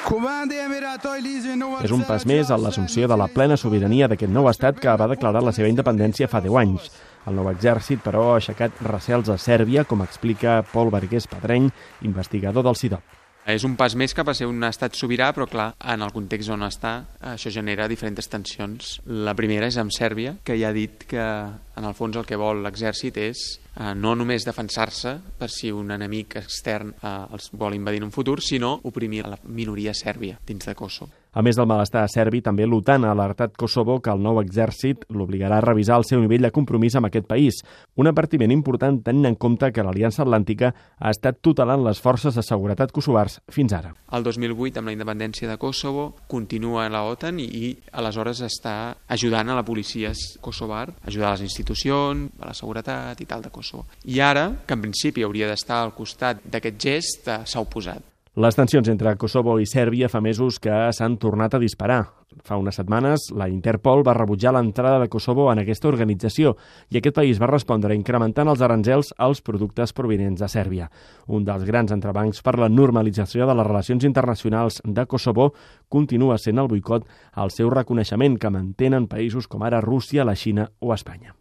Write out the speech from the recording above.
És un pas més en l'assumpció de la plena sobirania d'aquest nou estat que va declarar la seva independència fa 10 anys. El nou exèrcit, però, ha aixecat recels a Sèrbia, com explica Pol Vergés Pedreny, investigador del CIDOB. És un pas més cap a ser un estat sobirà, però clar, en el context on està, això genera diferents tensions. La primera és amb Sèrbia, que ja ha dit que en el fons el que vol l'exèrcit és no només defensar-se per si un enemic extern els vol invadir en un futur, sinó oprimir la minoria sèrbia dins de Kosovo. A més del malestar serbi, també l'OTAN ha alertat Kosovo que el nou exèrcit l'obligarà a revisar el seu nivell de compromís amb aquest país. Un advertiment important tenint en compte que l'Aliança Atlàntica ha estat tutelant les forces de seguretat kosovars fins ara. El 2008, amb la independència de Kosovo, continua la OTAN i aleshores està ajudant a la policia kosovar, ajudar a les institucions, a la seguretat i tal de Kosovo. I ara, que en principi hauria d'estar al costat d'aquest gest, s'ha oposat. Les tensions entre Kosovo i Sèrbia fa mesos que s'han tornat a disparar. Fa unes setmanes, la Interpol va rebutjar l'entrada de Kosovo en aquesta organització i aquest país va respondre incrementant els aranzels als productes provinents de Sèrbia. Un dels grans entrebancs per la normalització de les relacions internacionals de Kosovo continua sent el boicot al seu reconeixement que mantenen països com ara Rússia, la Xina o Espanya.